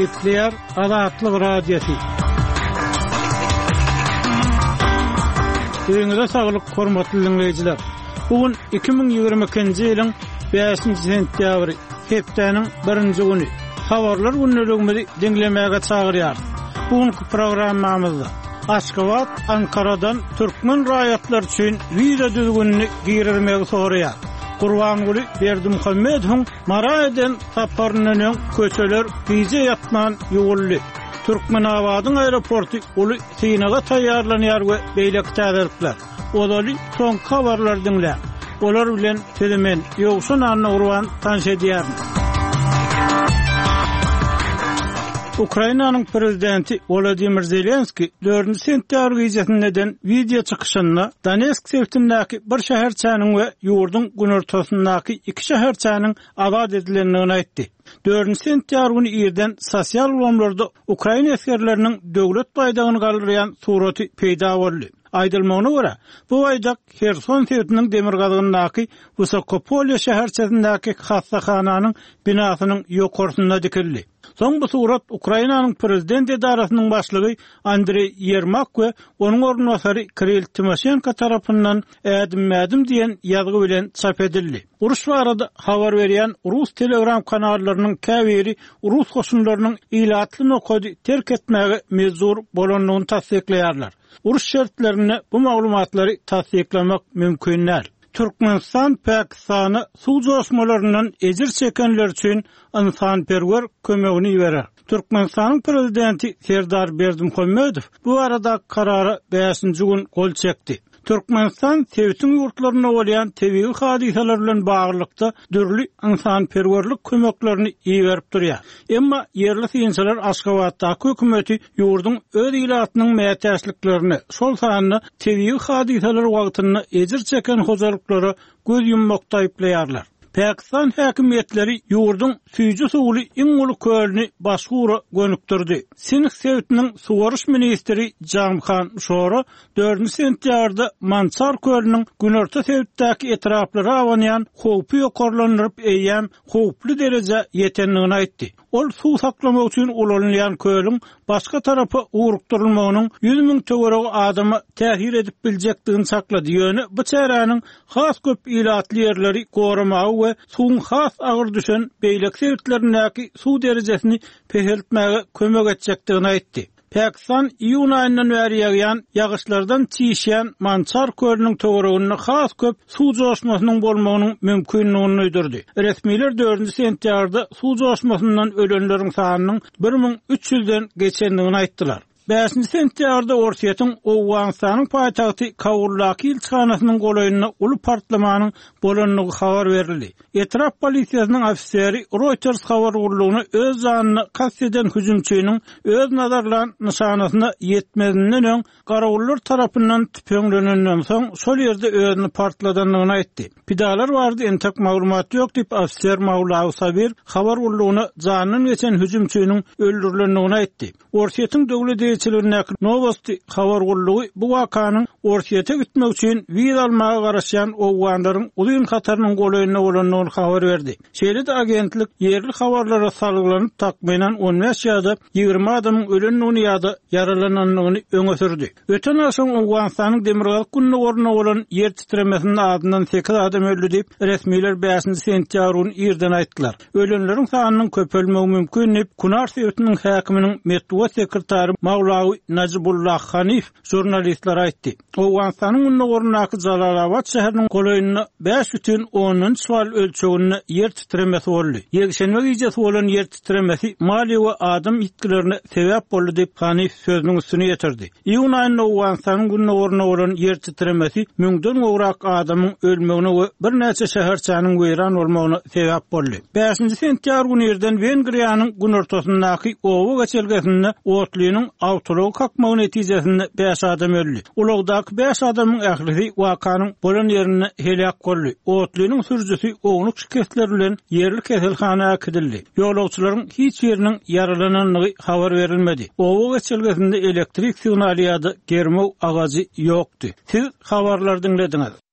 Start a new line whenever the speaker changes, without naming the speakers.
Gepleýär Azatlyk Radiosy. Öýüňize saglyk, hormatly diňleýjiler. Bu gün 2022-nji ýylyň 5-nji sentýabry, hepdäniň birinji güni. Habarlar gündeligimizi diňlemäge çagyrýarys. Bu günki programmamyzda Aşgabat Ankaradan türkmen raýatlary üçin wiza düzgünini girizmegi soraýar. Gurbanguly Berdimuhamedowyň Mara eden saparyndan öň köçeler gije ýatman ýuwuldy. Türkmenabadyň aeroporty uly synaga taýýarlanýar we beýleki täzelikler. Ozaly soňky habarlary diňläň. Olar bilen sizi men, Ýowşan Annagurban tanyş edýärin. Ukrainanyň prezidenti Wolodymyr Zelenskiý dördünji sentýabr gijesinde eden wideo çykyşynda Donetsk sebitindäki bir şäherçäniň we ýurduň günortasyndaky iki şäherçäniň azat edilendigini aýtdy. Dördünji sentýabr güni irden sosial ulgamlarda ukrain esgerleriniň döwlet baýdagyny galdyrýan suraty peýda boldy. Aýdylmagyna görä, bu baýdak Herson sebitiniň demirgazygyndaky Wysokopolýe şäherçesindäki hassahananyň binasynyň ýokarsynda dikildi. Soň bu surat Ukrainanyň prezident edarasynyň başlygy Andreý Ýermak we onuň orunbasary Kirill Timoşenko tarapyndan Ädimme-ädim diýen ýazgy bilen çap edildi. Uruş barada habar berýän rus telegram kanallarynyň käbiri rus goşunlarynyň ilatly nokady terk etmäge mejbur bolandygyny tassyklaýarlar. Uruş şertlerinde bu maglumatlary tassyklamak mümkin däl. Türkmenistan Pakistana suw joşmalaryndan ejir çekenler üçin ynsanperwer kömegini iberer. Türkmenistanyň Prezidenti Serdar Berdimuhamedow bu baradaky karara bäşinji gün gol çekdi. Türkmenistan sebitiň ýurtlarynda bolýan tebigy hadysalar bilen baglylykda dürli ynsanperwerlik kömeklerini iberip durýar. Emma ýerli synçylar Aşgabatdaky hökümeti ýurduň öz ilatynyň mätäçliklerine, şol sanda tebigy hadysalar wagtynda ejir çeken hojalyklara göz ýummakda aýyplaýarlar. Pakistan häkimiýetleri ýurduň süýji suwly iň uly kölüni başga ugra gönükdirdi. Sindh sebitiniň suwaryş ministri Jamhan Şora dördünji sentýabrda Mançar kölüniň günorta sebitdäki etraplara abanýan howpy ýokarlandyryp eýýäm howply derejä ýetendigini aýtdy. Ol suw saklamak üçin ulanylýan kölüň başga tarapa ugrukdyrylmagynyň 100 müň töweregi adama täsir edip biljekdigini çaklady, ýöne bu çäräniň has köp ilatly ýerleri goramaga we suwuň has agyr düşen beýleki sebitlerindäki suw derejesini peseltmäge kömek etjekdigini aýtdy. Pakistan iýun aýyndan bäri ýagýan ýagyşlardan çişýän Mançar kölüniň töwereginde has köp suw joşmasynyň bolmagynyň mümkindigini duýdurdy. Resmiler dördünji sentýabrda suw joşmasyndan ölenleriň sanynyň 1300-den geçendigini aýtdylar. Bäşinji sentýabrda Orsýetiň Owganystanyň paýtagty Kabuldaky ilçihanasynyň golaýynda uly partlamanyň bolandygy habar berildi. Etrap polisiýasynyň ofiseri Reuters habar gullugyna öz janyna kast eden hüjümçiniň öz nazarlan nyşanasyna ýetmezinden öň garawullar tarapyndan tüpeňlenenden soň şol ýerde özüni partladandygyny aýtdy. Pidalar barada entek maglumat ýok diýip, ofiser Mawlawi Sabir habar gullugyna janyndan geçen hüjümçiniň öldürilendigini aýtdy. Orsýetiň döwlet eýeçiligindäki Nowosti habar gullugy bu wakanyň Orsýete gitmek üçin wiza almaga garaşýan owganlaryň uzyn hatarynyň golaýynda bolandygyny habar berdi. Şeýle-de agentlik ýerli habarlara salgylanyp, takmynan on bäş ýa-da 20 adamyň ölendigini ýa-da ýaralanandygyny öňe sürdi. Öten agşam Owganystanyň demirgazyk-gündogarynda bolan ýer titremesinde azyndan sekiz adam öldi diýip, resmiler bäşinji sentýabr güni irden aýtdylar. Ölenleriň sanynyň köpelmegi mümkin diýip, Kunar sebitiniň häkiminiň metbugat sekretary Mawlawi Najibullah Hanif žurnalistlere aýtdy. Owganystanyň gündogaryndaky Jalalabad şäheriniň golaýynda 5,3 bal ölçeginde ýer titremesi boldy. Ýekşenbe gijesi bolan ýer titremesi maliýe we adam ýitgilerine sebäp boldy diýip, Hanif sözüniň üstüni ýetirdi. Iýun aýynda Owganystanyň gündogarynda bolan ýer titremesi müňden gowrak adamyň ölmegine we birnäçe şäherçäniň weýran bolmagyna sebäp boldy. Bäşinji sentýabr güni irden Wengriýanyň günortasyndaky oba geçelgesinde otlynyň awtoulagy kakmagy netijesinde bäş adam öldi. Ulagdaky bäş adamyň ählisi wakanyň bolan ýerinde heläk boldy. Otlynyň sürüjisi ownuk şikesler bilen ýerli keselhana äkidildi. Ýolagçylaryň hiç biriniň ýaralanandygy habar berilmedi. Oba geçelgesinde elektrik signaly ýa-da germew agajy ýokdy. Siz habarlary diňlediňiz.